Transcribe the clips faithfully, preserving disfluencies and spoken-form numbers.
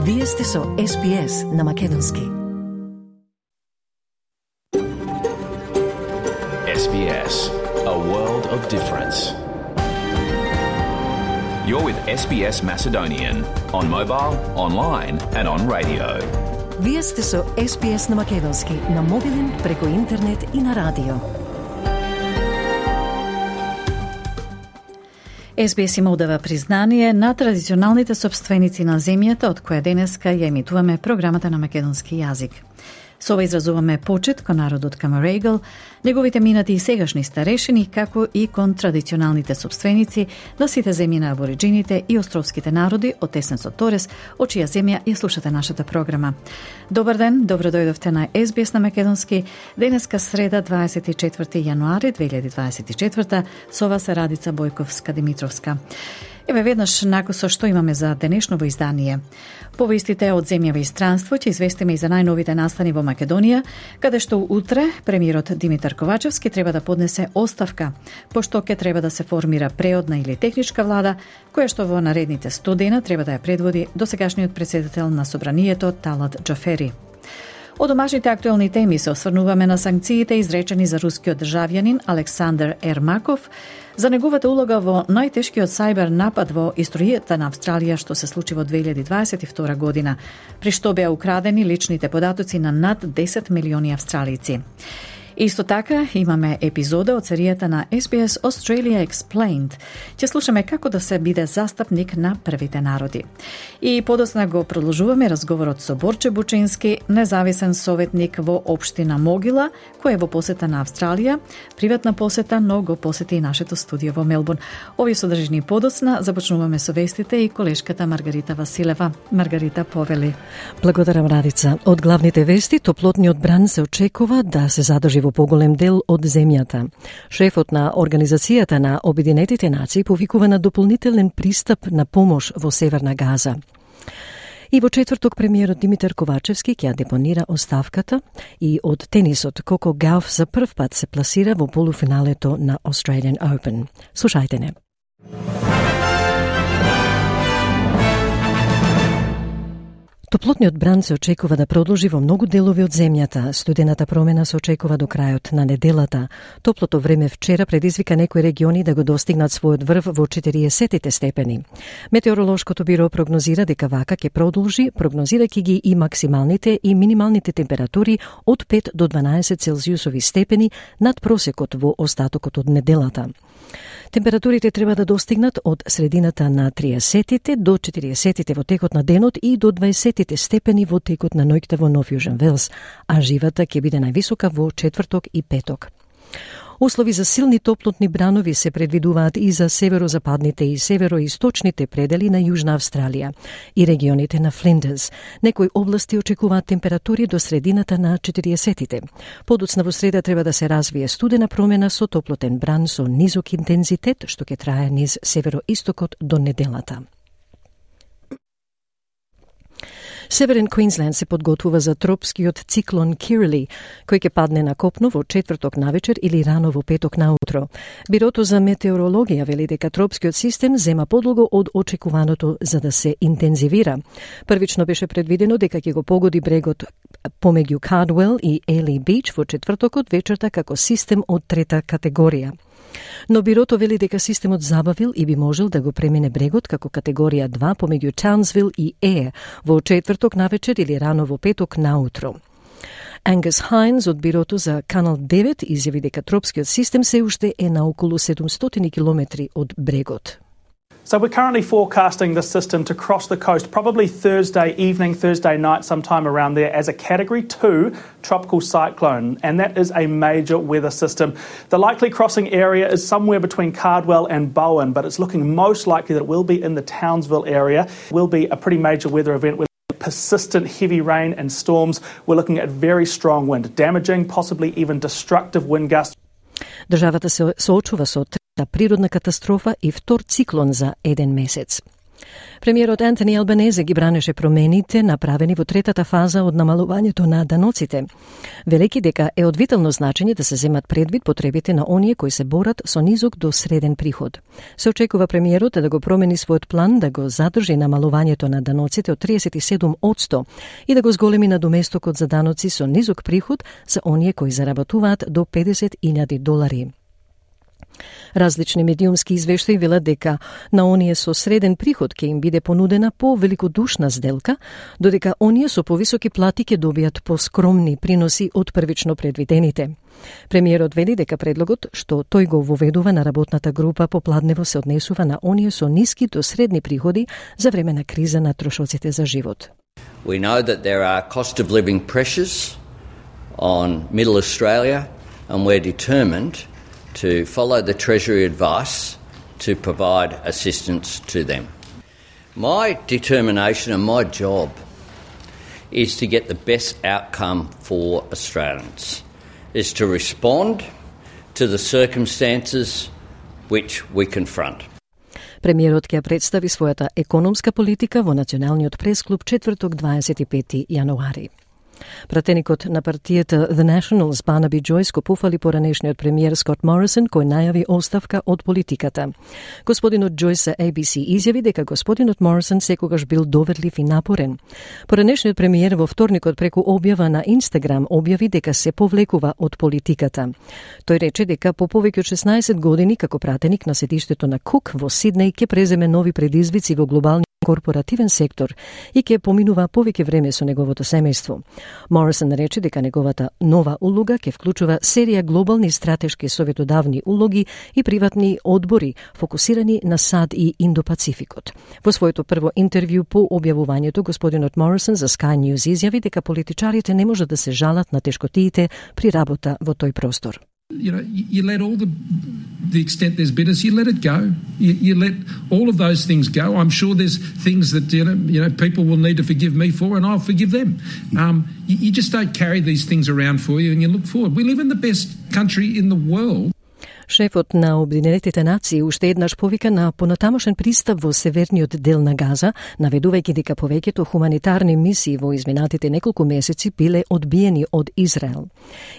Вие сте со Ес Би Ес на македонски. Ес Би Ес, a world of difference. You're with Ес Би Ес Macedonian on mobile, online and on radio. Вие сте со Ес Би Ес на македонски, на мобилен, преку интернет и на радио. Ес Би Ес им одава признание на традиционалните собственици на земјата, од која денеска ја емитуваме програмата на македонски јазик. Со ова изразуваме почит кон народот Камарегал, неговите минати и сегашни старешини, како и кон традиционалните собственици на сите земји на абориджините и островските народи од Теснецот Торес, од чија земја ја слушате нашата програма. Добар ден, добро дојдовте на Ес Би Ес на македонски. Денеска среда, дваесет и четврти јануари две илјади дваесет и четврта, со вас е Радица Бојковска-Димитровска. Еве веднаш накусо што имаме за денешново издание. Повестите од земјава и странство ќе известиме и за најновите настани во Македонија, каде што утре премиерот Димитар Ковачевски треба да поднесе оставка, пошто ќе треба да се формира преодна или техничка влада, која што во наредните сто дена треба да ја предводи досегашниот претседател на Собранието Талат Џафери. Од домашните актуелни теми се осврнуваме на санкциите изречени за рускиот државјанин Александар Ермаков, за неговата улога во најтешкиот сајбер напад во историјата на Австралија што се случи во две илјади дваесет и втора година, при што беа украдени личните податоци на над десет милиони австралици. Исто така имаме епизода од серијата на Ес Би Ес Australia Explained. Ќе слушаме како да се биде застапник на првите народи. И подосна го продолжуваме разговорот со Борче Бучински, независен советник во општина Могила, кој е во посета на Австралија, приватна посета, но го посети и нашето студио во Мелбурн. Овие содржини подосна започнуваме со вестите и колешката Маргарита Василева. Маргарита, повели. Благодарам, Радица. Од главните вести, топлотниот бран се очекува да се задржи во поголем дел од земјата. Шефот на Организацијата на Обединетите нации повикува на дополнителен пристап на помош во Северна Газа. И во четврток премиерот Димитар Ковачевски ќе депонира оставката и од тенисот Коко Гауф за прв пат се пласира во полуфиналето на Australian Open. Слушајте не. Топлотниот бран се очекува да продолжи во многу делови од земјата. Студената промена се очекува до крајот на неделата. Топлото време вчера предизвика некои региони да го достигнат својот врв во четириесет степени. Метеоролошкото биро прогнозира дека вака ќе продолжи, прогнозирајќи ги и максималните и минималните температури од пет до дванаесет целзиусови степени над просекот во остатокот од неделата. Температурите треба да достигнат од средината на триесетите до четириесетите во текот на денот и до дваесетите степени во текот на ноќта во Нов Јужен Велс, а живата ќе биде највисока во четврток и петок. Услови за силни топлотни бранови се предвидуваат и за северозападните и североисточните предели на Јужна Австралија и регионите на Флиндерс. Некои области очекуваат температури до средината на четириесетите. Подоцна во среда треба да се развие студена промена со топлотен бран со низок интензитет, што ќе трае низ североистокот до неделата. Северен Квинсленд се подготвува за тропскиот циклон Кирли, кој ќе падне на копно во четврток навечер или рано во петок наутро. Бирото за метеорологија вели дека тропскиот систем зема подолго од очекуваното за да се интензивира. Првично беше предвидено дека ќе го погоди брегот помеѓу Кардвел и Ели Бич во четвртокот вечерта како систем од трета категорија. Но бирото вели дека системот забавил и би можел да го премине брегот како категорија два помеѓу Таунсвил и Е во четврток навечер или рано во петок наутро. Ангус Хайнс од бирото за Канал девет изјави дека тропскиот систем се уште е на околу седумстотини километри од брегот. So we're currently forecasting this system to cross the coast probably Thursday evening, Thursday night, sometime around there as a Category two tropical cyclone, and that is a major weather system. The likely crossing area is somewhere between Cardwell and Bowen, but it's looking most likely that it will be in the Townsville area. It will be a pretty major weather event with persistent heavy rain and storms. We're looking at very strong wind, damaging, possibly even destructive wind gusts. Државата се соочува со трета природна катастрофа и втор циклон за еден месец. Премиерот Антони Албанезе ги бранеше промените направени во третата фаза од намалувањето на даноците, велики дека е од витално значење да се земат предвид потребите на оние кои се борат со низок до среден приход. Се очекува премиерот да го промени својот план да го задржи намалувањето на даноците од триесет и седум одсто и да го зголеми на доместокот за даноци со низок приход за оние кои заработуваат до педесет илјади долари. Различни медиумски извештаи велат дека на оние со среден приход ќе им биде понудена по-великодушна сделка, додека оние со повисоки плати ќе добијат поскромни приноси од првично предвидените. Премиерот вели дека предлогот што тој го воведува на работната група попладнево се однесува на оние со ниски до средни приходи за време на криза на трошоците за живот. We know that there are cost of living pressures on Middle Australia and we're determined to follow the Treasury advice to provide assistance to them. My determination and my job is to get the best outcome for Australians, is to respond to the circumstances which we confront. Премиерот ќе представи својата економска политика во Националниот пресклуб четврток дваесет и пети јануари. Пратеникот на партијата The Nationals Барнаби Джойс го пофали поранешниот премиер Скот Морисон, кој најави оставка од политиката. Господинот Джойс за A B C изјави дека господинот Морисон секогаш бил доверлив и напорен. Поранешниот премиер во вторникот преку објава на Инстаграм објави дека се повлекува од политиката. Тој рече дека по повеќе од шеснаесет години како пратеник на седиштето на Кук во Сиднеј ќе преземе нови предизвици во глобални корпоративен сектор и ќе поминува повеќе време со неговото семејство. Морисон рече дека неговата нова улога ќе вклучува серија глобални стратешки советодавни улоги и приватни одбори фокусирани на САД и Индо-Пацификот. Во своето прво интервју по објавувањето, господинот Морисон за Sky News изјави дека политичарите не можат да се жалат на тешкотиите при работа во тој простор. You know, you let all the the extent there's bitterness, you let it go. You, you let all of those things go. I'm sure there's things that you know, you know people will need to forgive me for, and I'll forgive them. Um, you, you just don't carry these things around for you, and you look forward. We live in the best country in the world. Шефот на Обединетите нации уште еднаш повика на понатамошен пристап во северниот дел на Газа, наведувајќи дека повеќето хуманитарни мисии во изминатите неколку месеци биле одбиени од Израел.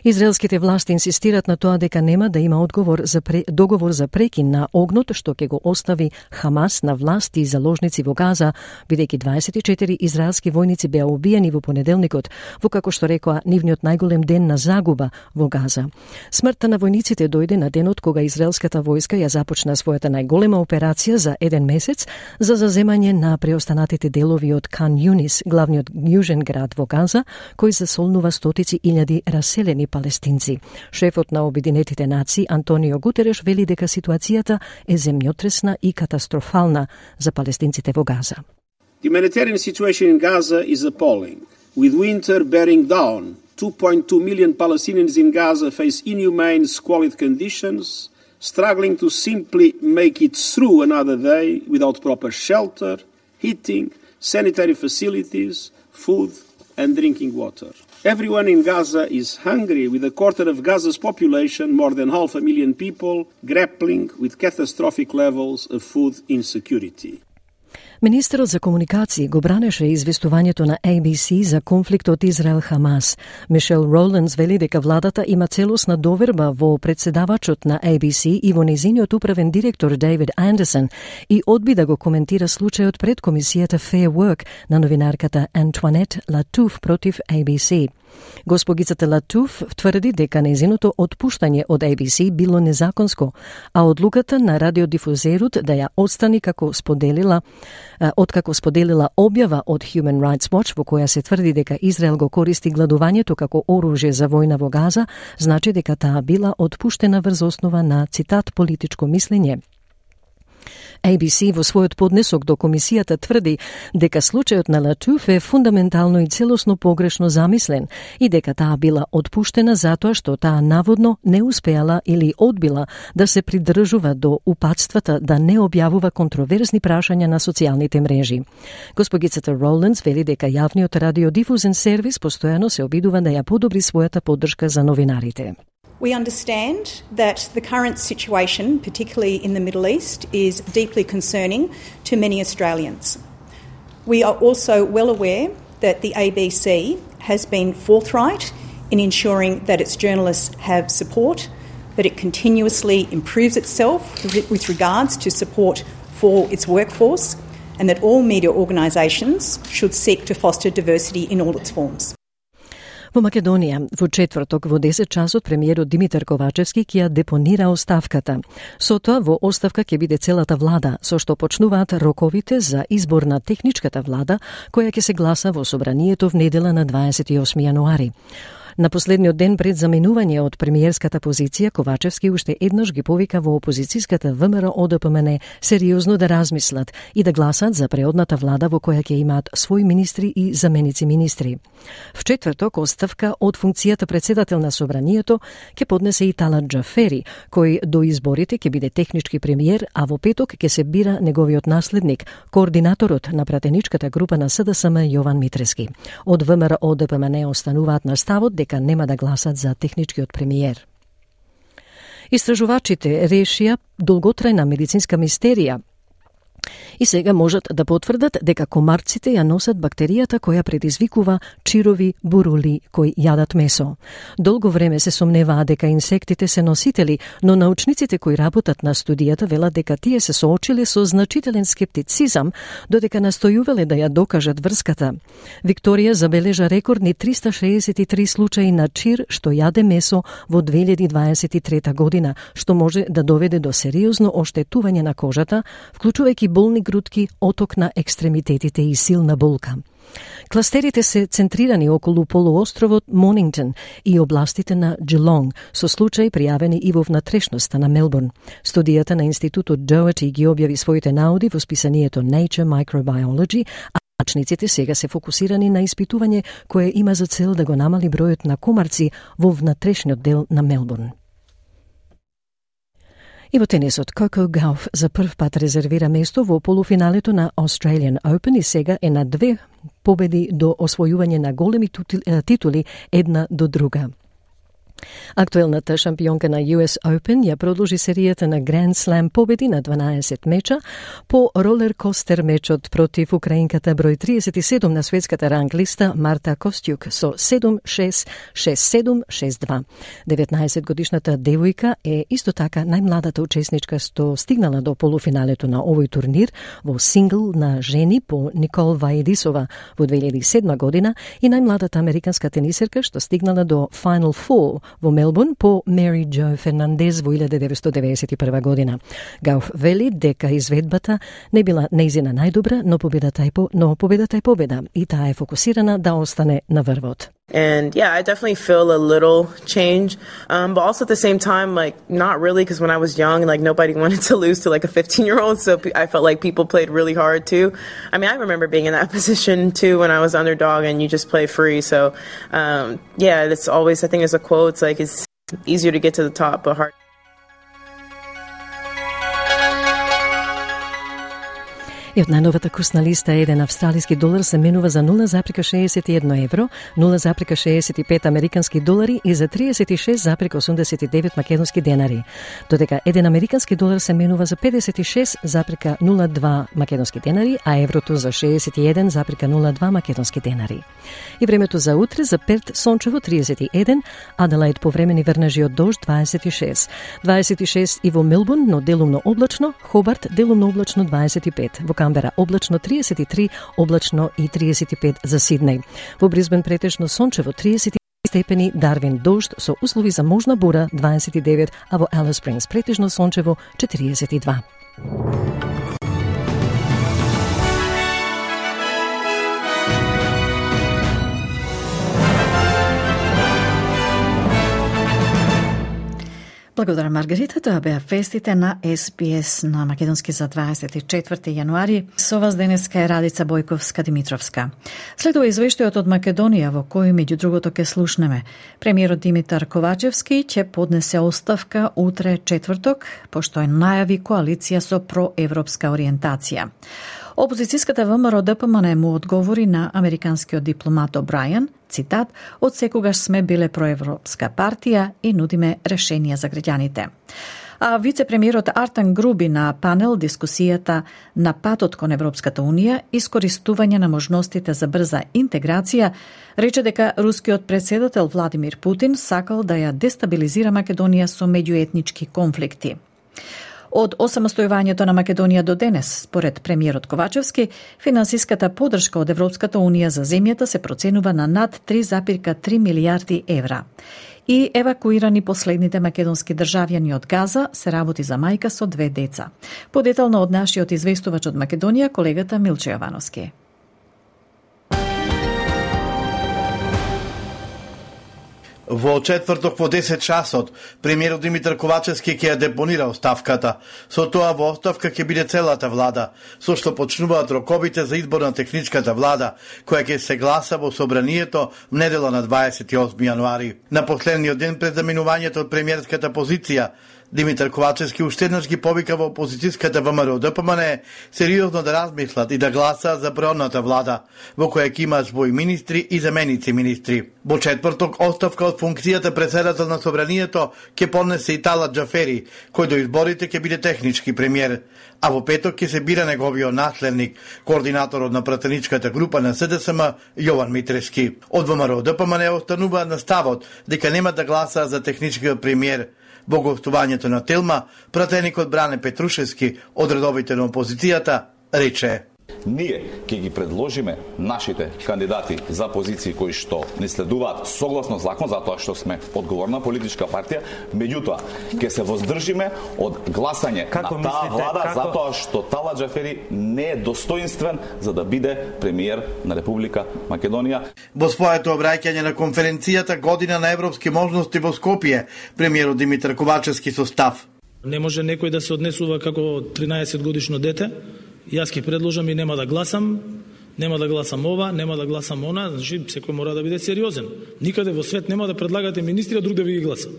Израелските власти инсистират на тоа дека нема да има одговор за пре... договор за прекин на огнот што ќе го остави Хамас на власти и заложници во Газа, бидејќи дваесет и четири израелски војници беа убиени во понеделникот, во како што рекоа нивниот најголем ден на загуба во Газа. Смртта на војниците дојде на денот кога израелската војска ја започна својата најголема операција за еден месец за заземање на преостанатите делови од Кан Юнис, главниот јужен град во Газа, кој засолнува стотици илјади раселени палестинци. Шефот на Обединетите нации Антонио Гутереш вели дека ситуацијата е земјотресна и катастрофална за палестинците во Газа. The humanitarian situation in Gaza is appalling, with winter bearing down. two point two million Palestinians in Gaza face inhumane, squalid conditions, struggling to simply make it through another day without proper shelter, heating, sanitary facilities, food and drinking water. Everyone in Gaza is hungry, with a quarter of Gaza's population, more than half a million people, grappling with catastrophic levels of food insecurity. Министерот за комуникации го бранеше известувањето на A B C за конфликтот Израел-Хамас. Мишел Роландс вели дека владата има целосна доверба во председавачот на A B C и во незиниот управен директор Дейвид Андерсон и одби да го коментира случајот пред комисијата Fair Work на новинарката Антуанет Латуф против A B C. Госпогицата Латуф тврди дека незиното отпуштање од A B C било незаконско, а одлуката на радиодифузерот да ја отстрани како споделила откако споделила објава од Human Rights Watch во која се тврди дека Израел го користи гладувањето како оружје за војна во Газа, значи дека таа била отпуштена врз основа на, цитат, политичко мислење. A B C во својот поднесок до комисијата тврди дека случајот на Латуф е фундаментално и целосно погрешно замислен и дека таа била отпуштена затоа што таа наводно не успеала или одбила да се придржува до упатствата да не објавува контроверзни прашања на социјалните мрежи. Госпогицата Роландс вели дека јавниот радиодифузен сервис постојано се обидува да ја подобри својата поддршка за новинарите. We understand that the current situation, particularly in the Middle East, is deeply concerning to many Australians. We are also well aware that the A B C has been forthright in ensuring that its journalists have support, that it continuously improves itself with regards to support for its workforce, and that all media organisations should seek to foster diversity in all its forms. Во Македонија, во четврток во десет часот премиерот Димитар Ковачевски ќе ја депонира оставката. Со тоа во оставка ќе биде целата влада, со што почнуваат роковите за избор на техничката влада, која ќе се гласа во собранието в недела на дваесет и осми јануари. На последниот ден пред заменување од премиерската позиција, Ковачевски уште еднаш ги повика во опозицијската ВМРО О Д П М Н сериозно да размислат и да гласат за преодната влада во која ќе имаат своји министри и заменици министри. В четврток оставка од функцијата председател на собранието ќе поднесе и Талат Џафери, кој до изборите ќе биде технички премиер, а во петок ќе се бира неговиот наследник, координаторот на пратеничката група на С Д С М Јован Митрески. Од ВМРО О Д П М Н остануваат на ставот дека нема да гласат за техничкиот премиер. Истражувачите решија долготрајна медицинска мистерија и сега можат да потврдат дека комарците ја носат бактеријата која предизвикува чирови бурули кои јадат месо. Долго време се сомневаа дека инсектите се носители, но научниците кои работат на студијата велат дека тие се соочиле со значителен скептицизам, додека настојувале да ја докажат врската. Викторија забележа рекордни триста шеесет и три случаи на чир што јаде месо во две илјади дваесет и трета година, што може да доведе до сериозно оштетување на кожата, вклучувајќи болни грудки, оток на екстремитетите и силна болка. Кластерите се центрирани околу полуостровот Монингтон и областите на Джилонг, со случаи пријавени и во внатрешноста на Мелбурн. Студијата на институтот Доherty ги објави своите наоди во списанието Nature Microbiology, а научниците сега се фокусирани на испитување кое има за цел да го намали бројот на комарци во внатрешниот дел на Мелбурн. И во тенисот, Коко Гауф за прв пат резервира место во полуфиналето на Australian Open и сега е на две победи до освојување на големи титули една до друга. Актуелната шампионка на Ю Ес Open ја продолжи серијата на Grand Slam победи на дванаесет меча по ролер-костер мечот против украинката број триесет и седум на светската ранглиста Марта Костјук со седум шест, шест седум, шест два. деветнаесет годишната девојка е исто така најмладата учесничка што стигнала до полуфиналето на овој турнир во сингл на жени по Никол Ваедисова во две илјади и седма година и најмладата американска тенисерка што стигнала до Final Four во Мелбурн по Мери Џо Фернандез во илјада деветстотини деветдесет и прва година. Гауф вели дека изведбата не била нејзина најдобра, но победата е по, но победата е победа и таа е фокусирана да остане на врвот. And yeah, I definitely feel a little change, um, but also at the same time, like, not really, because when I was young, like, nobody wanted to lose to, like, a fifteen-year-old, so I felt like people played really hard, too. I mean, I remember being in that position, too, when I was underdog, and you just play free, so, um, yeah, it's always, I think there's a quote, it's like, it's easier to get to the top, but hard. И од најновата курсна листа еден австралиски долар се менува за нула запирка шеесет и едно евро, нула запирка шеесет и пет американски долари и за триесет и шест запирка осумдесет и девет македонски денари. Додека еден американски долар се менува за педесет и шест запирка нула два македонски денари, а еврото за шеесет и еден запирка нула два македонски денари. И времето за утре за Перт сончево триесет и еден, Аделаид повремени врнежи од дожд дваесет и шест. дваесет и шест и во Мелбурн, но делумно облачно, Хобарт делумно облачно дваесет и пет. Во Камбера облачно триесет и три, облачно и триесет и пет за Сиднеј. Во Брисбен претежно сончево триесет и три степени, Дарвин дожд со услови за можна бура дваесет и девет, а во Алис Спрингс претежно сончево четириесет и два. Благодарам, Маргарита. Тоа беа вестите на Ес Би Ес на македонски за дваесет и четврти јануари. Со вас денеска е Радица Бојковска-Димитровска. Следува извештајот од Македонија во кој меѓу другото ќе слушнеме. Премиерот Димитар Ковачевски ќе поднесе оставка утре четврток, пошто е најави коалиција со проевропска ориентација. Опозицијската ВМРО Д П М Н му одговори на американскиот дипломат О'Брајан, цитат, од секогаш сме биле проевропска партија и нудиме решенија за граѓаните. А вице-премиерот Артан Груби на панел дискусијата на патот кон Европската Унија, искористување на можностите за брза интеграција, рече дека рускиот председател Владимир Путин сакал да ја дестабилизира Македонија со меѓуетнички конфликти. Од осамостојувањето на Македонија до денес, според премиерот Ковачевски, финансиската подршка од Европската Унија за земјата се проценува на над три зарез три милијарди евра. И евакуирани последните македонски државјани од Газа се работи за мајка со две деца. Подетално од нашиот известувач од Македонија, колегата Милче Јовановски. Во четврток по десет часот, премиерот Димитар Ковачевски ќе ја депонира оставката. Со тоа во оставка ќе биде целата влада, со што почнуваат роковите за избор на техничката влада, која ќе се гласа во собранието недела на дваесет и осми јануари. На последниот ден пред заминувањето од премиерската позиција, Димитар Ковачевски уште еднаш ги повика во опозицијската ВМРО Д П М Н сериозно да размислат и да гласаат за преодната влада, во која ќе има своји министри и заменици министри. Во четврток оставка од функцијата председател на собранието ќе поднесе и Талат Џафери, кој до изборите ќе биде технички премиер, а во петок ќе се бира неговиот наследник, координаторот на пратеничката група на С Д С М Јован Митрески. Од ВМРО Д П М Н остануваат на ставот дека нема да гласаат за техничкиот премиер. Во гостувањето на Телма, пратеникот Бране Петрушевски од редовите на опозицијата рече: Ние ќе ги предложиме нашите кандидати за позиции кои што не следуваат согласно закон, затоа што сме одговорна политичка партија, меѓутоа ќе се воздржиме од гласање како на таа влада, како... затоа што Талат Џафери не е достоинствен за да биде премиер на Република Македонија. Во своето обраќање на конференцијата Година на европски можности во Скопје, премиерот Димитар Ковачевски со став: Не може некој да се однесува како тринаесет годишно дете. Јас ќе предложам и нема да гласам, нема да гласам ова, нема да гласам она, значи секој мора да биде сериозен. Никаде во свет нема да предлагате министри, а друг да ви ги гласа.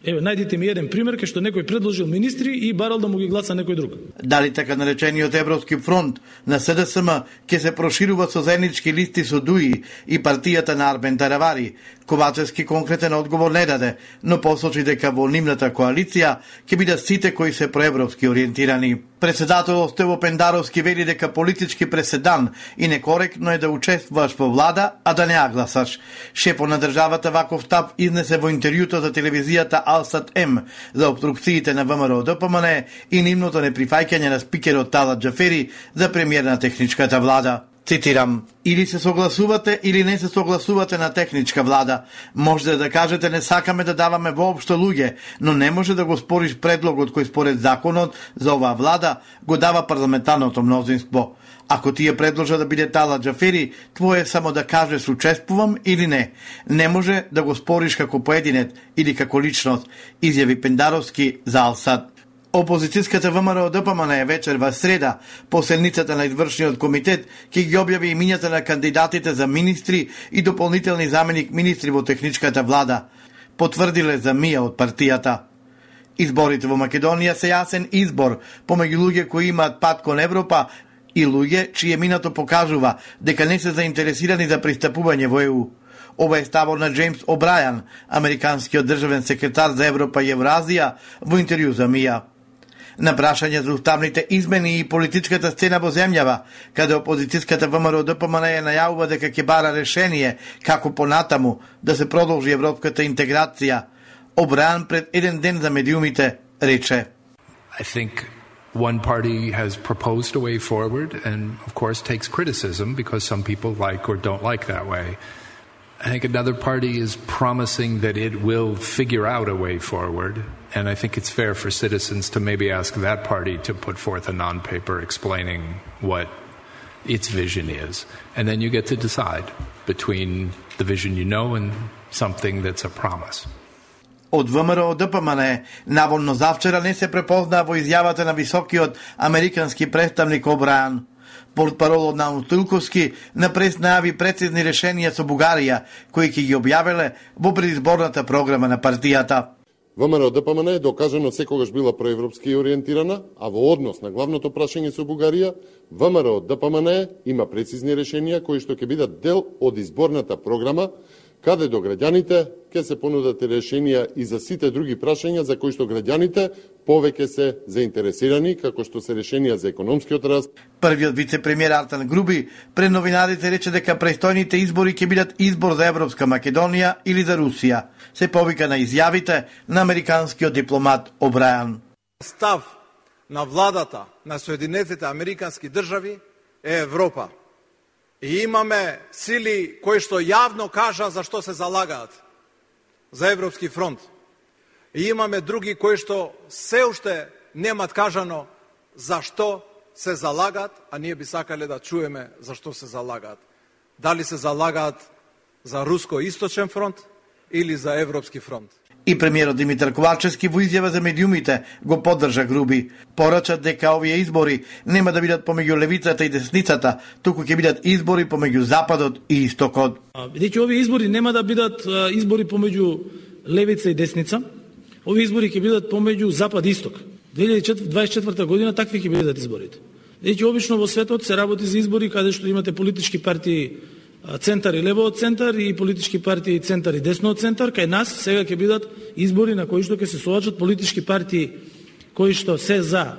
Еве, најдите ми еден пример кај што некој предложил министри и барал да му ги гласа некој друг. Дали така наречениот Европски фронт на С Д С М ќе се проширува со заеднички листи со ДУИ и партијата на Арбен Таравари? Ковачевски конкретен одговор не даде, но посочи дека во нивната коалиција ќе бидат сите кои се проевропски ориентирани. Председателот Стево Пендаровски вели дека политички преседан и некоректно е да учествуваш во влада, а да не ја гласаш. Шефот на државата ваков став изнесе во интервјуто за телевизијата Алсат М за обструкциите на ВМРО Д П М Н и нивното неприфаќање на спикерот Талат Џафери за премиер на техничката влада. Цитирам: Или се согласувате или не се согласувате на техничка влада. Можете да кажете не сакаме да даваме воопшто луѓе, но не може да го спориш предлогот кој според законот за оваа влада го дава парламентарното мнозинство. Ако тие предложа да биде Талат Џафери, твое е само да кажеш учествувам или не. Не може да го спориш како поединет или како личност, изјави Пендаровски за Алсат. Опозицијската ВМРО Д П М Н вечер во среда, по седницата на извршниот комитет, ќе ги објави имињата на кандидатите за министри и дополнителни заменик министри во техничката влада, потврдиле за Мија од партијата. Изборите во Македонија се јасен избор помеѓу луѓе кои имаат пат кон Европа и луѓе чие минато покажува дека не се заинтересирани за пристапување во Е У. Ова е ставот на Джеймс О'Брајан, американскиот државен секретар за Европа и Евразија, во интервју за Мија. На прашање за уставните измени и политичката сцена во земјава, каде опозицијската ВМРО Д П М Н ја најавува дека ќе бара решение како понатаму да се продолжи европската интеграција, О'Брајан пред еден ден за медиумите рече: I think one party has proposed a way forward and of course takes criticism because some people like or don't like that way. I think another party is promising that it will figure out a way forward, and I think it's fair for citizens to maybe ask that party to put forth a non-paper explaining what its vision is. And then you get to decide between the vision you know and something that's a promise. Од ВМРО Д П М Н наводно завчера не се препознаа во изјавата на високиот американски представник О'Брајан. Портпаролот на Устилковски на прес најави прецизни решенија со Бугарија, кои ќе ги објавеле во предизборната програма на партијата. ВМРО Д П М Н е докажано секогаш била проевропски ориентирана, а во однос на главното прашање со Бугарија, ВМРО Д П М Н има прецизни решенија кои што ќе бидат дел од изборната програма, каде до граѓаните ќе се понудат решенија и за сите други прашања за кои што граѓаните повеќе се заинтересирани, како што се решенија за економскиот раст. Првиот вице-премиер Артан Груби пред новинарите рече дека престојните избори ќе бидат избор за Европска Македонија или за Русија. Се повика на изјавите на американскиот дипломат Обрајан. Став на владата на Соединетите Американски држави е Европа. И имаме сили кои што јавно кажа за што се залагаат. За Европски фронт. И имаме други кои што се уште немат кажано за што се залагаат, а ние би сакале да чуеме за што се залагаат. Дали се залагаат за Руско-Источен фронт или за Европски фронт. И премиерот Димитар Ковачевски во изјава за медиумите го поддржа Груби. Порачат дека овие избори нема да бидат помеѓу левицата и десницата, туку ќе бидат избори помеѓу Западот и Истокот. Бидејќи овие избори нема да бидат избори помеѓу левица и десница, овие избори ќе бидат помеѓу Запад и Исток. две илјади дваесет и четврта година такви ќе бидат изборите. Бидејќи обично во светот се работи за избори каде што имате политички партии центар и лево од центар и политички партии центар и десно од центар. Кај нас сега ќе бидат избори на кои што ќе се соочат политички партии кои што се за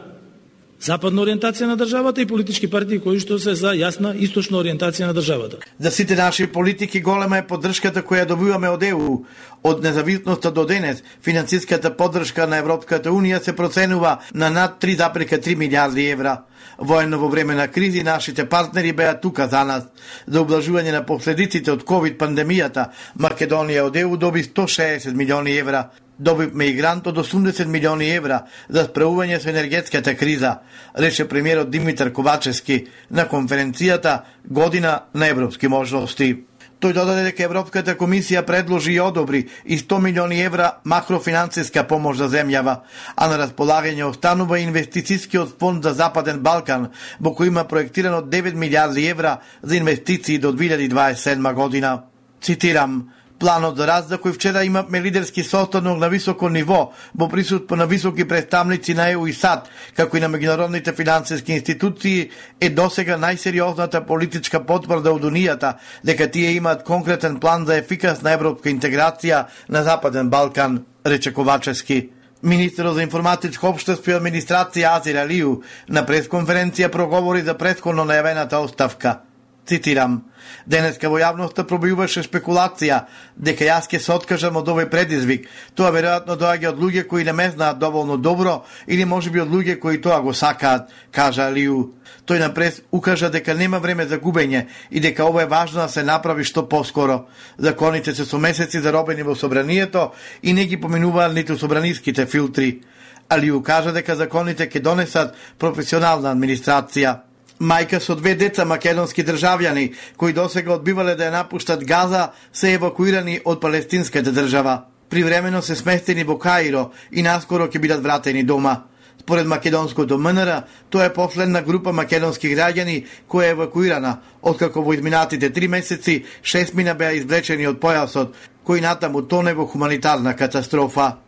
западна ориентација на државата и политички партии кои што се за јасна источна ориентација на државата. За сите наши политики голема е поддршката која добиваме од Е У. Од независноста до денес, финансиската поддршка на Европската Унија се проценува на над три зарез и три милијарди евра. Воено во време на кризи нашите партнери беа тука за нас. За облажување на последиците од ковид пандемијата, Македонија од Е У доби сто шеесет милиони евра. Добивме и грант од осумдесет милиони евра за справување со енергетската криза, рече премиерот Димитар Ковачевски на конференцијата Година на европски можности. Тој додаде дека Европската комисија предложи и одобри и сто милиони евра макрофинансиска помош за земјава, а на располагање останува инвестицијскиот фонд за Западен Балкан, во кој има проектирано девет милијарди евра за инвестиции до две илјади дваесет и седма година. Цитирам: планот за раст за кој вчера имавме лидерски состанок на високо ниво во присуство на високи представници на Е У и САД, како и на меѓународните финансиски институции, е досега најсериозната политичка потврда од Унијата дека тие имаат конкретен план за ефикасна европска интеграција на Западен Балкан, рече Ковачевски. Министерот за информатичко општество и администрација Азир Алију на пресконференција проговори за претходно најавената оставка. Цитирам: денеска во јавноста пробиваше спекулација дека јас ќе се откажам од овој предизвик. Тоа веројатно доаѓа од луѓе кои не ме знаат доволно добро или можеби од луѓе кои тоа го сакаат, кажа Алију. Тој на прес укажа дека нема време за губење и дека ова е важно да се направи што поскоро. Законите се со месеци заробени во собранието и не ги поминуваат ниту собраниските филтри. Алију кажа дека законите ќе донесат професионална администрација. Мајка со две деца македонски државјани, кои досега одбивале да ја напуштат Газа, се евакуирани од палестинската држава. Привремено се сместени во Каиро и наскоро ќе бидат вратени дома. Според македонското М Н Р, тоа е последна група македонски граѓани која е евакуирана, откако во изминатите три месеци шестмина беа извлечени од појасот, кој натаму тоне во хуманитарна катастрофа.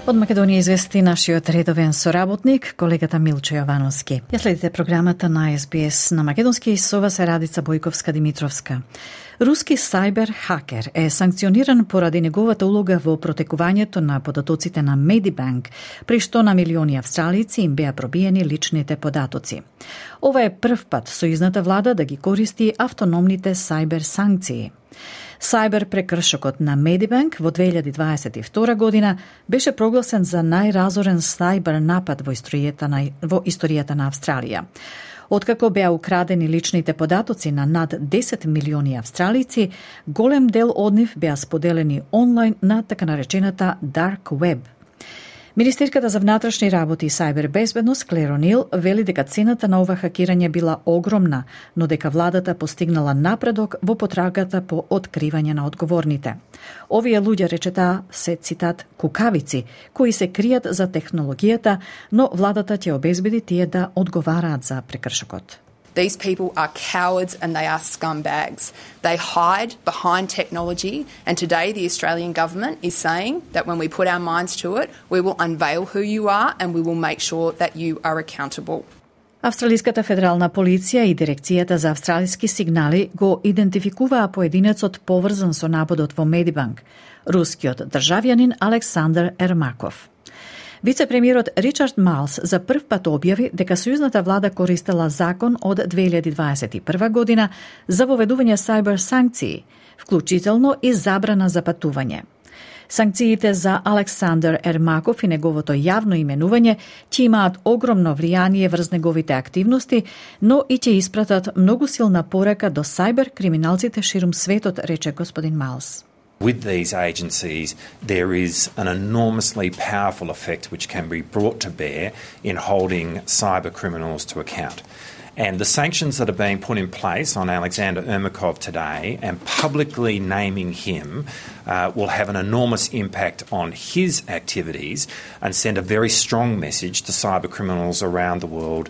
Од Македонија извести нашиот редовен соработник, колегата Милчо Јовановски. Ја следите програмата на Ес Би Ес на македонски и со вас е Радица Бојковска-Димитровска. Руски сајбер хакер е санкциониран поради неговата улога во протекувањето на податоците на Medibank, при што на милиони австралици им беа пробиени личните податоци. Ова е прв пат сојузната влада да ги користи автономните сајбер санкции. Сајбер прекршокот на Medibank во две илјади дваесет и втора година беше прогласен за најразорен сајбер напад во историјата на, во историјата на Австралија. Откако беа украдени личните податоци на над десет милиони австралици, голем дел од нив беа споделени онлайн на така наречената Dark Web. Министерката за внатрешни работи и сајбер безбедност Клер О'Нил вели дека цената на ова хакирање била огромна, но дека владата постигнала напредок во потрагата по откривање на одговорните. Овие луѓе, рече таа, се цитат кукавици, кои се кријат за технологијата, но владата ќе обезбеди тие да одговараат за прекршокот. These people are cowards and they are scumbags. They hide behind technology, and today the Australian government is saying that when we put our minds to it, we will unveil who you are and we will make sure that you are accountable. Австралиската федерална полиција и Дирекцијата за австралиски сигнали го идентификуваа поединецот поврзан со нападот во Медибанк, рускиот државјанин Александр Ермаков. Вице-премиерот Ричард Малс за прв пат објави дека сојузната влада користела закон од две илјади дваесет и прва година за воведување сајбер санкции, вклучително и забрана за патување. Санкциите за Александр Ермаков и неговото јавно именување ќе имаат огромно влијание врз неговите активности, но и ќе испратат многу силна порека до сајбер криминалците ширум светот, рече господин Малс. With these agencies, there is an enormously powerful effect which can be brought to bear in holding cyber criminals to account. And the sanctions that are being put in place on Alexander Ermakov today and publicly naming him uh, will have an enormous impact on his activities and send a very strong message to cyber criminals around the world.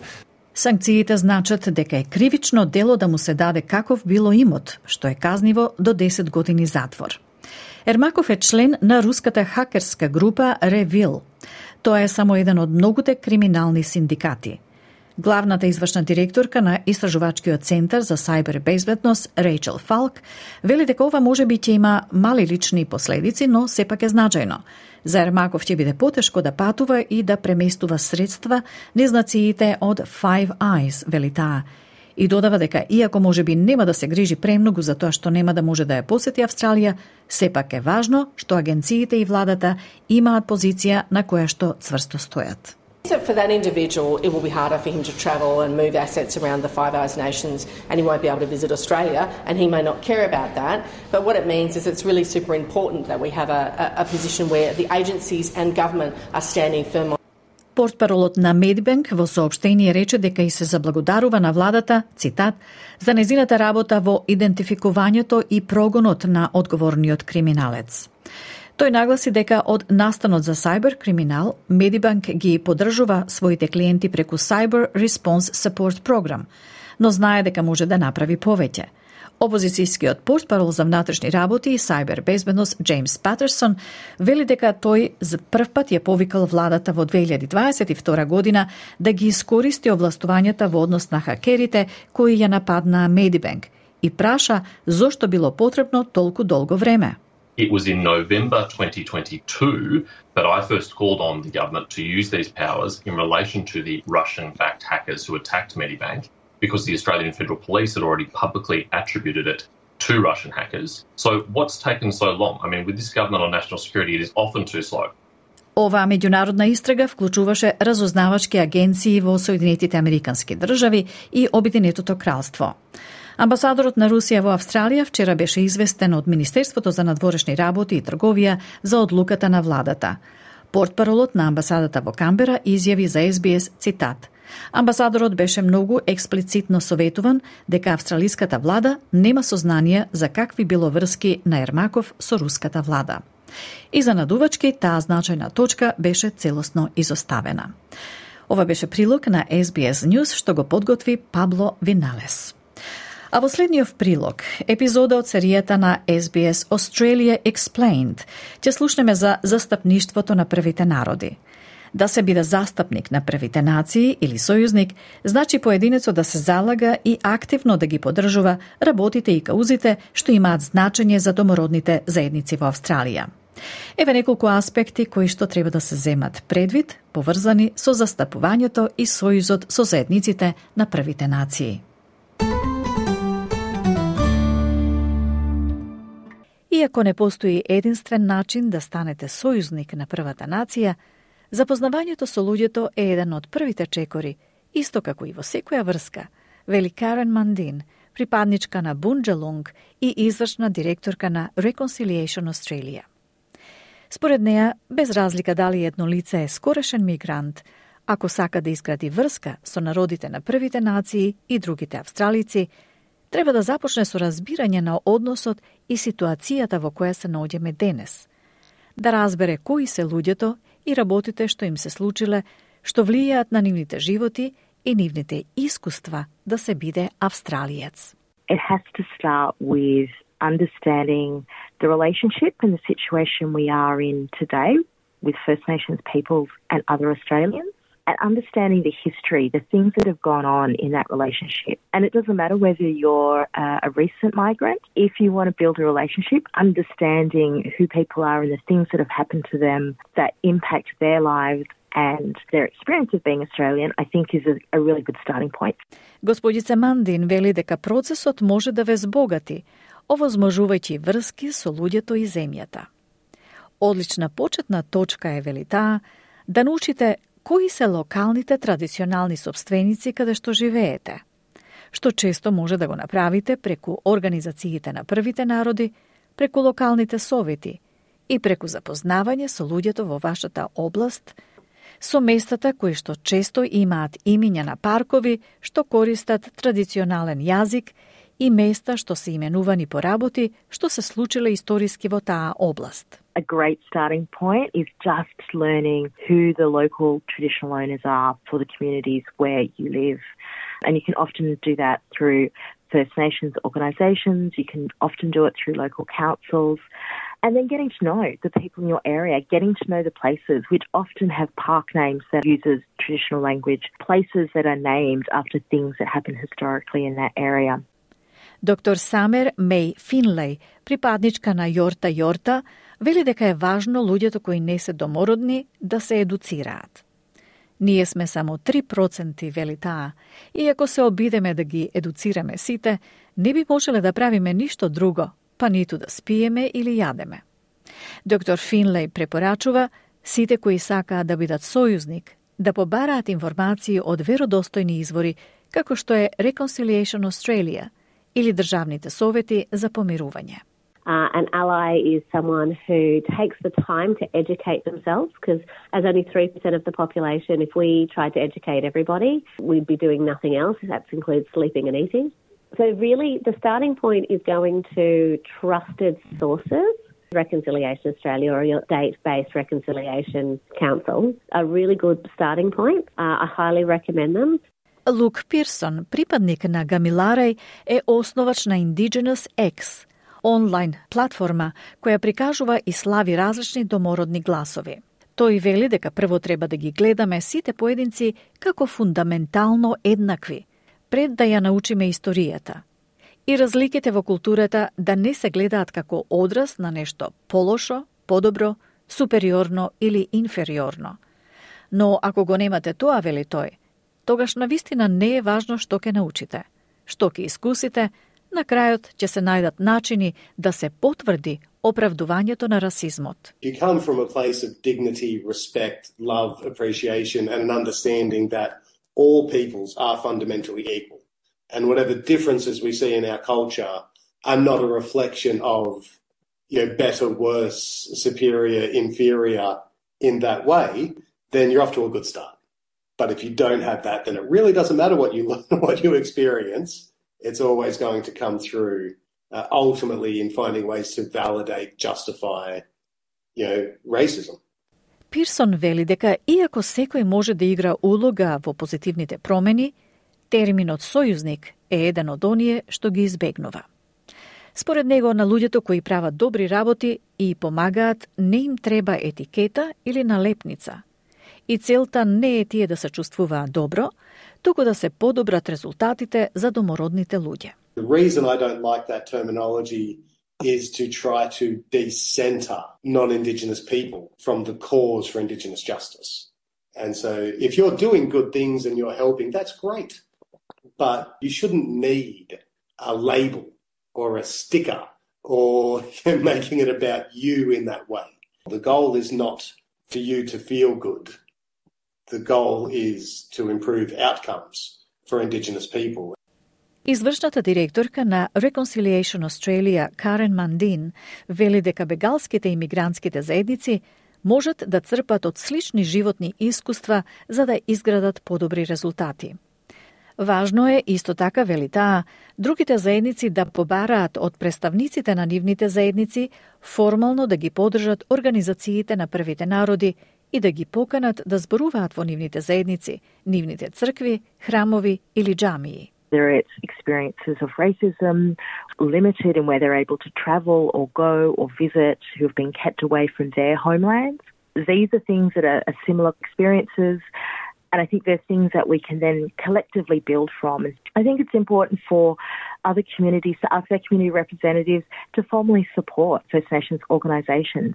Санкциите значат дека е кривично дело да му се даде каков било имот, што е казниво до десет години затвор. Ермаков е член на руската хакерска група Revil. Тоа е само еден од многуте криминални синдикати. Главната извршна директорка на Истражувачкиот центар за сајбер безбедност Рейчел Фалк вели дека ова можеби ќе има мали лични последици, но сепак е значајно. За Ермаков ќе биде потешко да патува и да преместува средства низ нациите од Five Eyes, вели таа. И додава дека иако можеби нема да се грижи премногу за тоа што нема да може да ја посети Австралија, сепак е важно што агенциите и владата имаат позиција на која што цврсто стојат. For that individual, it will be harder for him to travel and move assets around the Five Eyes nations, and he won't be able to visit Australia, and he may not care about that. But what it means is it's really super important that we have a, a, a position where the agencies and government are standing firm on. Портпаролот на Медибанк во соопштение рече дека и се заблагодарува на владата, цитат, за незината работа во идентификувањето и прогонот на одговорниот криминалец. Тој нагласи дека од настанот за сајбер криминал, Медибанк ги поддржува своите клиенти преку Cyber Response Support Program, но знае дека може да направи повеќе. Опозицијскиот портпарол за внатрешни работи и сајбер безбедност Джеймс Патерсон вели дека тој за прв пат ја повикал владата во две илјади дваесет и втора година да ги искористи овластувањата во однос на хакерите кои ја нападнаа Медибанк и праша зошто било потребно толку долго време. It was in November twenty twenty-two that I first called on the government to use these powers in relation to the Russian-backed hackers who attacked Medibank, because the Australian Federal Police had already publicly attributed it to Russian hackers. So what's taken so long? I mean, with this government on national security, it is often too slow. Оваа меѓународна истрага вклучуваше разузнавачки агенции во Соединетите Американски држави и Обединетото кралство. Амбасадорот на Русија во Австралија вчера беше известен од Министерството за надворешни работи и трговија за одлуката на владата. Портпаролот на амбасадата во Камбера изјави за Ес Би Ес, цитат, амбасадорот беше многу експлицитно советуван дека австралиската влада нема сознание за какви било врски на Ермаков со руската влада. И за надувачки таа значајна точка беше целосно изоставена. Ова беше прилог на Ес Би Ес News што го подготви Пабло Виналес. А во следниот прилог, епизода од серијата на Ес Би Ес Australia Explained, ќе слушнеме за застапништвото на првите народи. Да се биде застапник на првите нации или сојузник, значи поединецот да се залага и активно да ги поддржува работите и каузите што имаат значење за домородните заедници во Австралија. Еве неколку аспекти кои што треба да се земат предвид, поврзани со застапувањето и сојузот со заедниците на првите нации. Иако не постои единствен начин да станете сојузник на првата нација, запознавањето со луѓето е еден од првите чекори, исто како и во секоја врска, вели Карен Мандин, припадничка на Бунџалунг и извршна директорка на Reconciliation Australia. Според неа, без разлика дали едно лице е скорешен мигрант, ако сака да изгради врска со народите на првите нации и другите австралици, треба да започне со разбирање на односот и ситуацијата во која се наоѓаме денес, да разбере кои се луѓето и работите што им се случиле, што влијаат на нивните животи и нивните искуства да се биде австралиец. It has to start with understanding the relationship and the situation we are in today with First Nations peoples and other Australians, and understanding the history, the things that have gone on in that relationship. And it doesn't matter whether you're uh, a recent migrant. If you want to build a relationship, understanding who people are and the things that have happened to them that impact their lives and their experience of being Australian, I think is a, a really good starting point. Господица Мандин вели дека процесот може да ве збогати, овозможувајќи врски со луѓето и земјата. Одлична почетна точка е, вели таа, да научите кои се локалните традиционални сопственици каде што живеете, што често може да го направите преку организациите на првите народи, преку локалните совети и преку запознавање со луѓето во вашата област, со местата кои што често имаат имиња на паркови што користат традиционален јазик и места што се именувани по работи што се случиле историски во таа област. A great starting point is just learning who the local traditional owners are for the communities where you live. And you can often do that through First Nations organisations, you can often do it through local councils, and then getting to know the people in your area, getting to know the places which often have park names that uses traditional language, places that are named after things that happened historically in that area. Доктор Самер Мей Финлей, припадничка на Јорта Јорта, вели дека е важно луѓето кои не се домородни да се едуцираат. Ние сме само три проценти, вели таа, и ако се обидеме да ги едуцираме сите, не би можеле да правиме ништо друго, па ниту да спиеме или јадеме. Доктор Финлей препорачува сите кои сакаат да бидат сојузник, да побараат информации од веродостојни извори, како што е Reconciliation Australia или државните совети за помирување. Uh, an ally is someone who takes the time to educate themselves, because as only three percent of the population, if we tried to educate everybody, we'd be doing nothing else. That includes sleeping and eating. So really, the starting point is going to trusted sources. Reconciliation Australia or your state-based Reconciliation Council are really good starting points. Uh, I highly recommend them. Лук Пирсон, припадник на Гамилареј, е основач на Indigenous X, онлайн платформа која прикажува и слави различни домородни гласови. Тој вели дека прво треба да ги гледаме сите поединци како фундаментално еднакви, пред да ја научиме историјата. И разликите во културата да не се гледаат како одраз на нешто полошо, подобро, супериорно или инфериорно. Но ако го немате тоа, вели тој, тогаш навистина не е важно што ќе научите, што ќе искусите. На крајот ќе се најдат начини да се потврди оправдувањето на расизмот. You come from a place of dignity, respect, love, appreciation and an understanding that all peoples are fundamentally equal. And whatever differences we see in our culture are not a reflection of, you know, better, worse, superior, inferior in that way, then you're off to a good start. But if you don't have that, then it really doesn't matter what you what you experience. It's always going to come through uh, ultimately in finding ways to validate, justify, you know, racism. Пирсон вели дека иако секој може да игра улога во позитивните промени, терминот сојузник е еден од оние што ги избегнува. Според него, на луѓето кои прават добри работи и помагаат, не им треба етикета или налепница. И целта не е тие да се чувствуваат добро, туку да се подобрат резултатите за домородните луѓе. The reason I don't like that terminology is to try to decenter non-Indigenous people from the cause for Indigenous justice. And so if you're doing good things and you're helping, that's great. But you shouldn't need a label or a sticker or making it about you in that way. The goal is not for you to feel good. The goal is to improve outcomes for Indigenous people. Извршната директорка на Reconciliation Australia, Карен Мандин, вели дека бегалските и мигрантските заедници можат да црпат од слични животни искуства за да изградат подобри резултати. Важно е, исто така вели таа, другите заедници да побараат од представниците на нивните заедници формално да ги поддржат организациите на првите народи и да ги поканат да зборуваат во нивните заедници, нивните цркви, храмови или џамии. Whether it's experiences of racism, limited in where they're able to travel or go or visit, who have been kept away from their homelands. These are things that are, are similar experiences, and I think they're things that we can then collectively build from. And I think it's important for other communities, to us, their community representatives, to formally support First Nations organisations,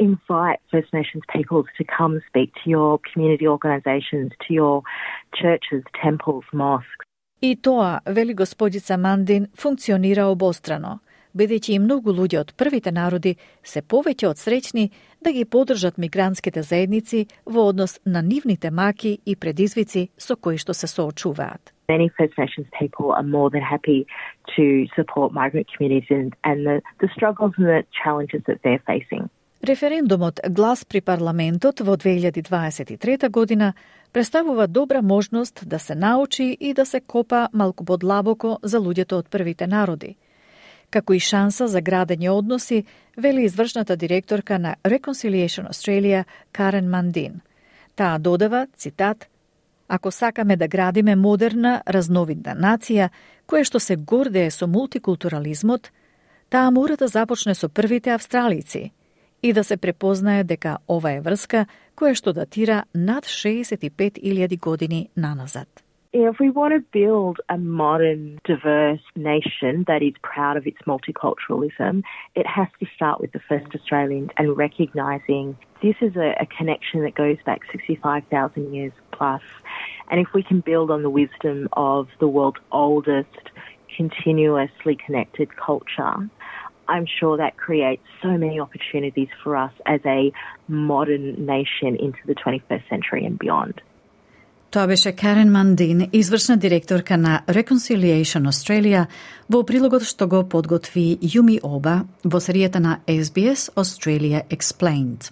invite First Nations peoples to come speak to your community organisations, to your churches, temples, mosques. И тоа, вели господица Мандин, функционира обострано, бидејќи и многу луѓе од првите народи се повеќе од среќни да ги поддржат мигрантските заедници во однос на нивните маки и предизвици со кои што се соочуваат. Many First Nations people are more than happy to support migrant communities and, and the, the struggles and the challenges that they're facing. Референдумот Глас при парламентот во две илјади дваесет и трета година представува добра можност да се научи и да се копа малку подлабоко за луѓето од првите народи. Како и шанса за градење односи, вели извршната директорка на Reconciliation Australia Карен Мандин. Таа додава, цитат, "Ако сакаме да градиме модерна, разновидна нација, која што се гордее со мултикултурализмот, таа мора да започне со првите австралици и да се препознае дека ова е врска која што датира над шеесет и пет илјади години наназад. If we want to build a modern, diverse nation that is proud of its multiculturalism, it has to start with the first Australians and recognising this is a, a connection that goes back sixty-five thousand years plus. And if we can build on the wisdom of the world's oldest, continuously connected culture, I'm sure that creates so many opportunities for us as a modern nation into the twenty-first century and beyond. Тоа беше Карен Мандин, извршна директорка на Reconciliation Australia, во прилогот што го подготви Јуми Оба во серијата на Ес Би Ес Australia Explained.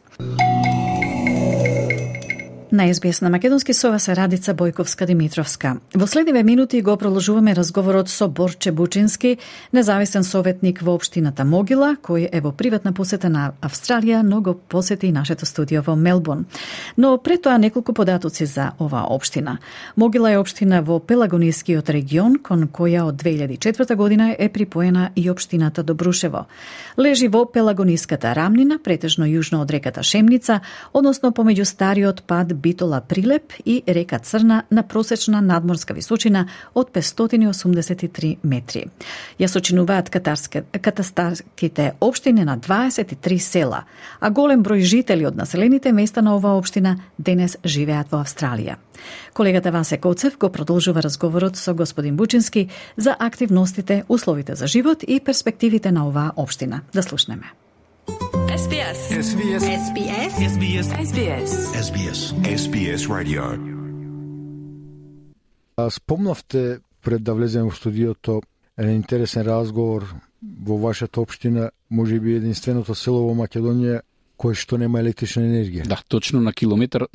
На Ес Би Ес на македонски со вас е Радица Бојковска-Димитровска. Во следниве минути го продолжуваме разговорот со Борче Бучински, независен советник во општината Могила, кој е во приватна посета на Австралија, но го посети и нашето студио во Мелбурн. Но пред тоа неколку податоци за оваа општина. Могила е општина во Пелагонискиот регион, кон која од две илјади и четврта година е припоена и општината Добрушево. Лежи во Пелагониската рамнина, претежно јужно од реката Шемница, односно помеѓу стариот пад Битола Прилеп и река Црна на просечна надморска височина од петстотини и осумдесет и три метри. Ја сочинуваат катастарските општини на дваесет и три села, а голем број жители од населените места на оваа општина денес живеат во Австралија. Колегата Васе Коцев го продолжува разговорот со господин Бучински за активностите, условите за живот и перспективите на оваа општина. Да слушнеме. Ес Би Ес. Ес Би Ес. Ес Би Ес. Ес Би Ес. Ес Би Ес. Ес Би Ес. Ес Би Ес Радио. Спомнавте пред да влезем во студиото еден интересен разговор во вашата општина, може би единственото село во Македонија кое што нема електрична енергија. Да, точно на километар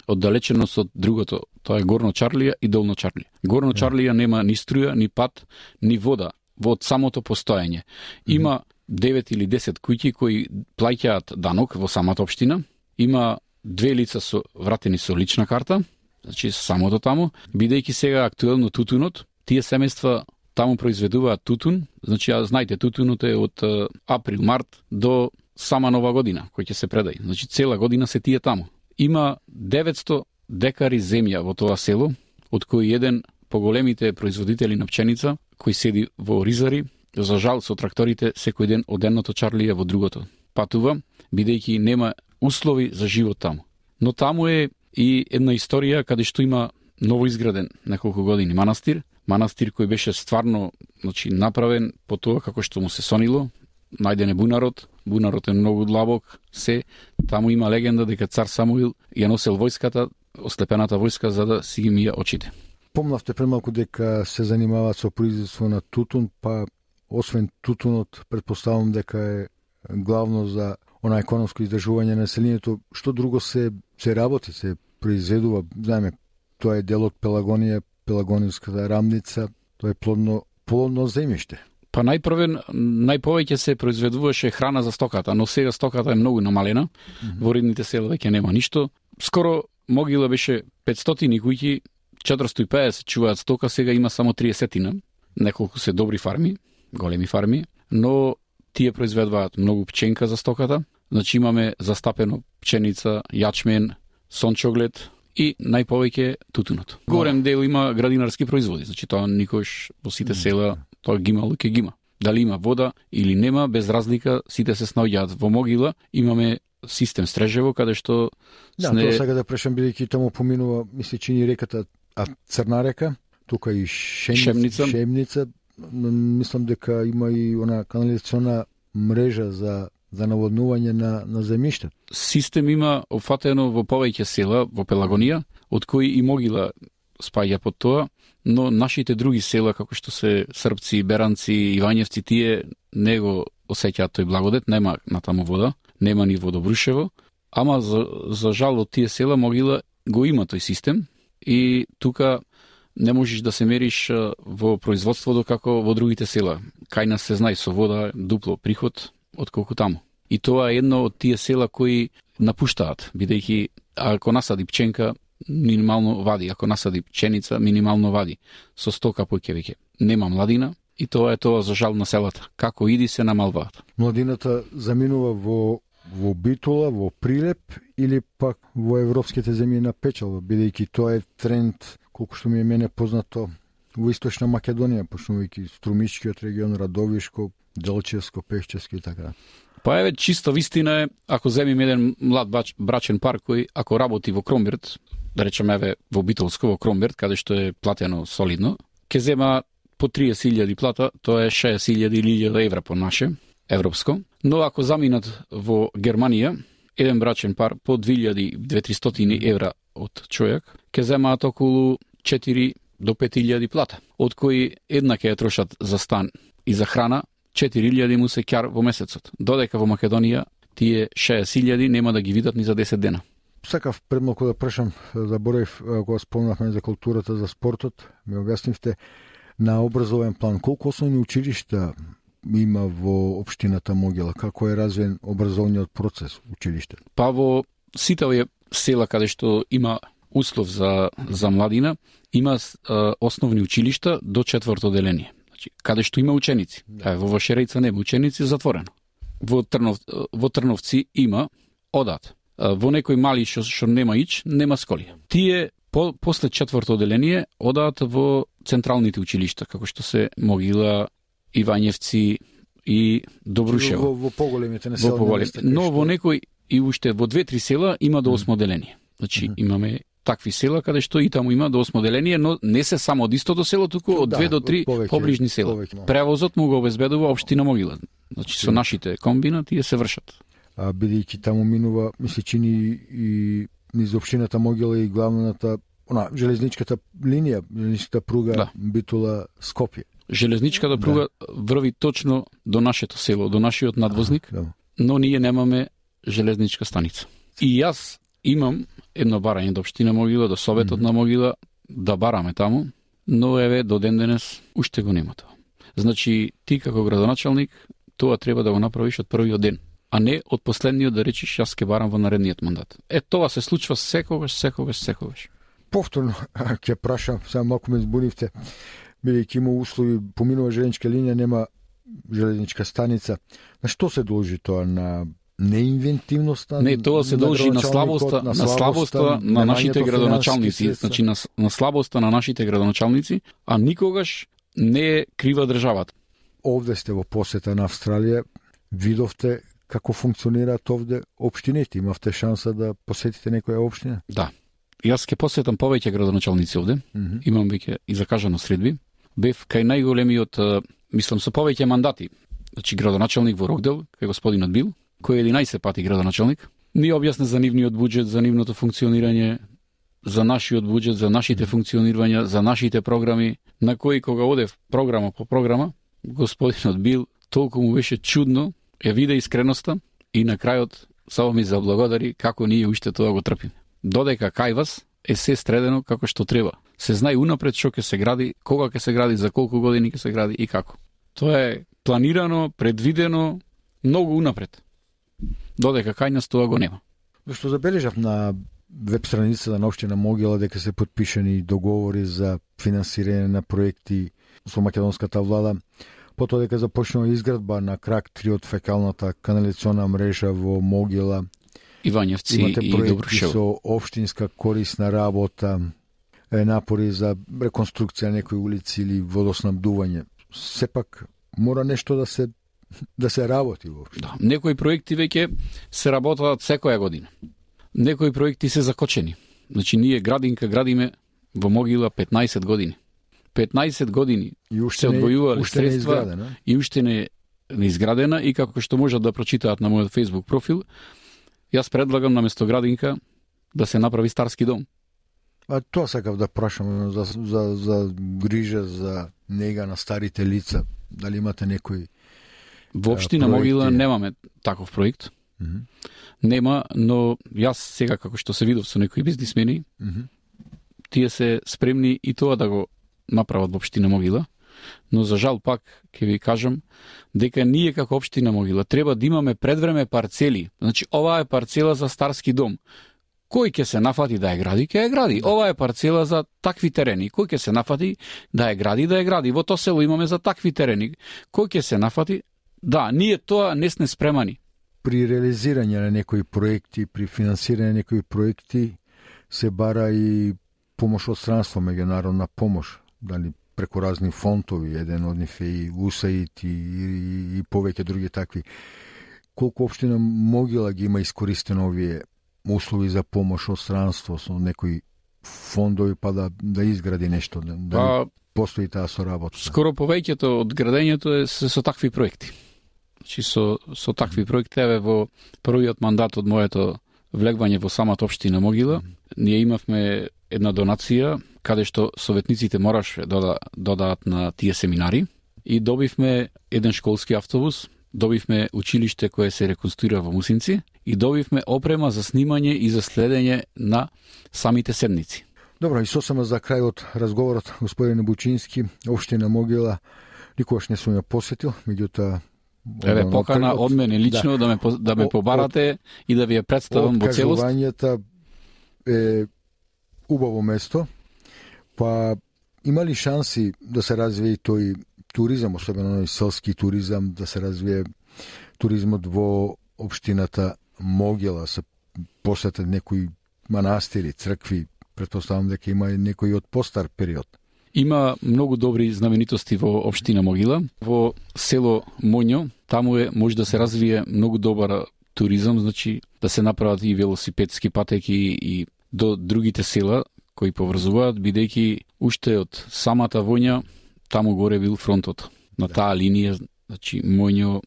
оддалеченост од другото. Тоа е Горно Чарлија и Долно Чарлија. Горно Чарлија нема ни струја, ни пат, ни вода во самото постоење. Има девет или десет куќи кои плаќаат данок во самата општина. Има две лица со вратени со лична карта, значи самото таму, бидејќи сега актуелно тутунот, тие семејства таму произведуваат тутун, значи ја знаете тутунот е од април март до сама нова година кој ќе се предај. Значи цела година се тие таму. Има деветсто декари земја во тоа село, од кои еден поголемите производители на пченица кој седи во Ризари. За жал, со тракторите секој ден од едното Чарлија во другото патува, бидејќи нема услови за живот таму. Но таму е и една историја каде што има новоизграден неколку години манастир, манастир кој беше стварно, значи, направен по тоа како што му се сонило, најден е бунарот, бунарот е многу длабок, се, таму има легенда дека цар Самуил ја носел војската, ослепената војска за да си ги мија очите. Помнавте премалку дека се занимаваат со производство на тутун, па освен тутунот, предпоставам дека е главно за она економско издржување на населението, што друго се се работи, се произведува, знаеме, тоа е дел од Пелагонија, Пелагониската рамница, тоа е плодно плодно земјиште. Па најпрвен, најповеќе се произведуваше храна за стоката, но сега стоката е многу намалена. Mm-hmm. Во редните села веќе нема ништо. скоро могила беше петстотини куќи, четиристотини и педесет чуваат стока, сега има само триесет. Неколку се добри фарми, големи фарми, но тие произведуваат многу пченка за стоката. Значи имаме застапено пченица, јачмен, сончоглед и најповеќе тутунот. Голем дел има градинарски производи, значи тоа никош во сите села тоа ги има, луќе ги има. Дали има вода или нема, без разлика сите се снаоѓаат во могила. Имаме систем Стрежево каде што да, сне... тоа сега да прешам бидејќи таму поминува, мисли чини реката, а Црна река, тука и Шемница, Шемница. Шемница, мислам дека има и она канализациона мрежа за за наводнување на на земјиште. Систем има опфатено во повеќе села во Пелагонија, од кои и могила спаѓа под тоа, но нашите други села, како што се Српци, Беранци, Ивањевци, тие не го осеќаат тој благодет, нема натаму вода, нема ни водобрушево, ама за, за жал од тие села могила го има тој систем и тука не можеш да се мериш во производството како во другите села. Кај нас се знае со вода дупло приход отколку таму. И тоа е едно од тие села кои напуштаат, бидејќи ако насади пченка, минимално вади, ако насади пченица, минимално вади. Со стока поќе веќе нема младина и тоа е тоа за жал на селата. Како иди се намалваат. Младината заминува во во Битола, во Прилеп или пак во европските земји на печалба, бидејќи тоа е тренд, колку што ми е мене познато, во Источна Македонија, почнувајќи Струмичкиот регион, Радовишко, Делчевско, Пешчевско и така. Па еве чиста вистина е, ако земиме еден млад бач, брачен пар кој ако работи во Кромберт, да речеме еве во Битолско во Кромберт, каде што е платено солидно, ќе зема по триесет илјади плата, тоа е шеесет илјади или илјада евра по наше, европско. Но ако заминат во Германија, еден брачен пар по две илјади до две тристотини евра од човек, ќе земаат околу четири до пет илјади плата, од кои една ќе ја трошат за стан и за храна, четири илјади му се ќар во месецот. Додека во Македонија тие шеесет илјади нема да ги видат ни за десет дена. Сакав пред малку да прашам, заборев кога спомнавме за културата, за спортот, ми објаснивте на образовен план колку основни училишта има во општината Могила, како е развиен образовниот процес училиште? Па во сите овие села каде што има услов за за младина, има а, основни училишта до четврто деление. Значи, каде што има ученици. Да. Во Вашерица нема ученици, затворено. Во Трнов во Трновци има одат. Во некои мали што што нема ич, нема сколија. Тие по, после четврто деление одат во централните училишта, како што се Могила, Ивањевци и Добрушево. Во, во поголемите населени места. Но во некои и уште во две-три села има до осмо деление. Значи mm-hmm. имаме такви села каде што и таму има до осмо деление, но не се само од истото село, туку од две до три повеќе, поближни села. Повеќе. Превозот му го обезбедува општина Могила. Значи со нашите комбина тие се вршат. А бидејќи таму минува, мисли чини и низ општината Могила и главната, она железничката линија, железничката пруга да. Битола Скопје. Железничката пруга да. Врви точно до нашето село, до нашиот надвозник, а, да. Но ние немаме железничка станица. И јас имам едно барање до општина Могила, до Советот mm-hmm. на Могила, да бараме таму, но еве до ден денес уште го нема тоа. Значи, ти како градоначалник, тоа треба да го направиш од првиот ден, а не од последниот да речиш јас ке барам во наредниот мандат. Е, тоа се случва секогаш, секогаш, секогаш. Повторно ќе прашам, само малку ме збунивте, бидејќи има услови, поминува железничка линија, нема железничка станица. На што се должи тоа? На неинвентивноста? Не, тоа се должи на слабоста, на слабоста на нашите градоначалници, значи на, на слабоста на нашите градоначалници, а никогаш не е крива државата. Овде сте во посета на Австралија, видовте како функционираат овде општините, имавте шанса да посетите некоја општина? Да. Јас ќе посетам повеќе градоначалници овде, mm-hmm. имам веќе и закажано средби. Бев кај најголемиот, мислам, со повеќе мандати, значи градоначалник во Рокдел, кај господинот Бил, кој е единаесет пати градоначалник, ми објасни за нивниот буџет, за нивното функционирање, за нашиот буџет, за нашите функционирања, за нашите програми, на кои кога одев програма по програма, господинот Бил толку му беше чудно, ја виде искреноста и на крајот само ми заблагодари како ние уште тоа го трпиме. Додека кај вас е се средено како што треба. Се знае унапред што ќе се гради, кога ќе се гради, за колку години ќе се гради и како. Тоа е планирано, предвидено, многу унапред. Додека кај нас тоа го нема. Што забележав на веб страницата на општина Могила дека се потпишани договори за финансирање на проекти со македонската влада, потоа дека започнува изградба на крак три од фекалната канализациона мрежа во Могила. Ивањевци и Добрушево. Со општинска корисна работа, напори за реконструкција на некои улици или водоснабдување. Сепак мора нешто да се да се работи воопшто. Да, некои проекти веќе се работат секоја година. Некои проекти се закочени. Значи ние градинка градиме во Могила петнаесет години. петнаесет години се одвојувале средства не и уште не не изградена, и како што можат да прочитаат на мојот Facebook профил, јас предлагам на место градинка да се направи старски дом. А тоа сакав да прашам за, за, за грижа, за нега на старите лица. Дали имате некои Во општина Могила немаме таков проект. Mm-hmm. Нема, но јас сега како што се видов со некои бизнисмени, mm-hmm. тие се спремни и тоа да го направат во општина Могила, но за жал пак ќе ви кажам дека ние како општина Могила треба да имаме предвреме парцели. Значи ова е парцела за старски дом. Кој ќе се нафати да ја гради, ќе ја гради. Ова е парцела за такви терени. Кој ќе се нафати да ја гради, да ја гради. Во тоа село имаме за такви терени. Кој ќе се нафати? Да, ние тоа не сме спремани. При реализирање на некои проекти, при финансирање на некои проекти се бара и помош од странство, меѓународна помош, дали преку разни фондови, еден од нив е и ю ес ей ай ди и, и, и повеќе други такви. Колку општина Могила ги има искористено овие услови за помош од странство со некои фондови, па да, да изгради нешто, да, да постои таа соработа? Скоро повеќето од градењето е со, со такви проекти. Значи со, со такви проекти, еве во првиот мандат од моето влегвање во самата општина Могила, mm-hmm. ние имавме една донација каде што советниците мораше да додаат на тие семинари и добивме еден школски автобус, добивме училиште кое се реконструира во Мусинци и добивме опрема за снимање и за следење на самите седници. Добро, и сосема за крај од разговорот, господине Бучински, општина Могила никогаш не сум ја посетил, меѓутоа еве покана од мене лично да, да ме да ме побарате од, и да ви ја представам во целост. Откажувањето е убаво место, па има ли шанси да се развие тој туризам, особено и селски туризам, да се развие туризмот во општината Могила, се посетат некои манастири, цркви, претпоставам дека има и некои од постар период? Има многу добри знаменитости во општина Могила. Во село Моњо, таму е може да се развие многу добар туризам, значи да се направат и велосипедски патеки и до другите села кои поврзуваат, бидејќи уште од самата Воња таму горе бил фронтот. На таа линија, значи Моњо,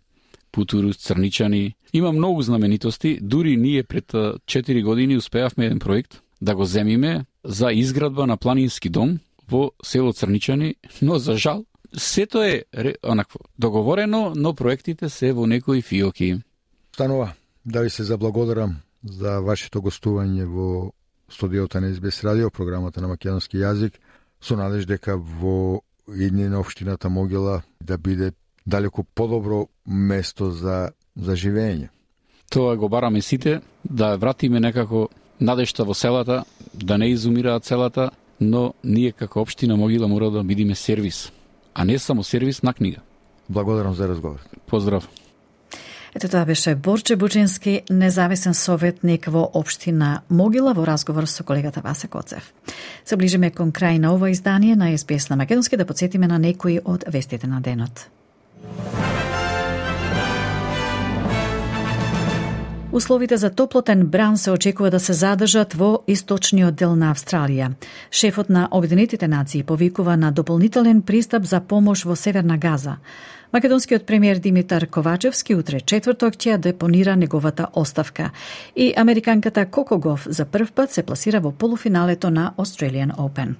Путурус, Црничани. Има многу знаменитости. Дури ние пред четири години успеавме еден проект да го земиме за изградба на планински дом во село Црничани, но за жал сето е онакво договорено, но проектите се во некои фиоки. Станува, да ви се заблагодарам за вашето гостување во студиото на Ес Би Ес радио, програмата на македонски јазик, со надеж дека во идни на општината Могила да биде далеку подобро место за за живење. Тоа го бараме сите, да вратиме некако надежта во селата, да не изумираат селата, но ние како општина Могила мора да бидиме сервис, а не само сервис на книга. Благодарам за разговор. Поздрав. Ето тоа беше Борче Бучински, независен советник во општина Могила, во разговор со колегата Васе Коцев. Се ближиме кон крај на ова издание на Ес Би Ес на македонски, да потсетиме на некои од вестите на денот. Условите за топлотен бран се очекува да се задржат во источниот дел на Австралија. Шефот на Обединетите нации повикува на дополнителен пристап за помош во Северна Газа. Македонскиот премиер Димитар Ковачевски утре четврток ќе ја депонира неговата оставка. И американката Коко Гоф за прв пат се пласира во полуфиналето на Australian Open.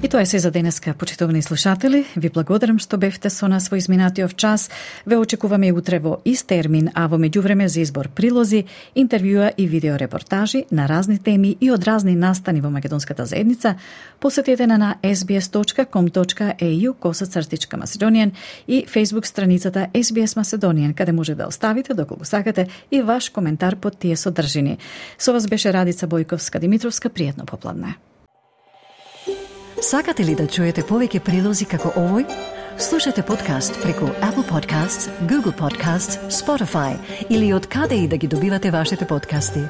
И тоа е се за денеска, почитувани слушатели. Ви благодарам што бевте со нас во изминатиот час. Ве очекуваме и утре во ист термин, а во меѓувреме за избор прилози, интервјуа и видеорепортажи на разни теми и од разни настани во македонската заедница. Посетете на на ес би ес точка ком точка е ю косацртичка Macedonian и Facebook страницата ес би ес Macedonian, каде може да оставите доколку сакате и ваш коментар под тие содржини. Со вас беше Радица Бојковска-Димитровска. Пријатно попладне. Сакате ли да чуете повеќе прилози како овој? Слушате подкаст преку Apple Podcasts, Google Podcasts, Spotify или од каде и да ги добивате вашите подкасти.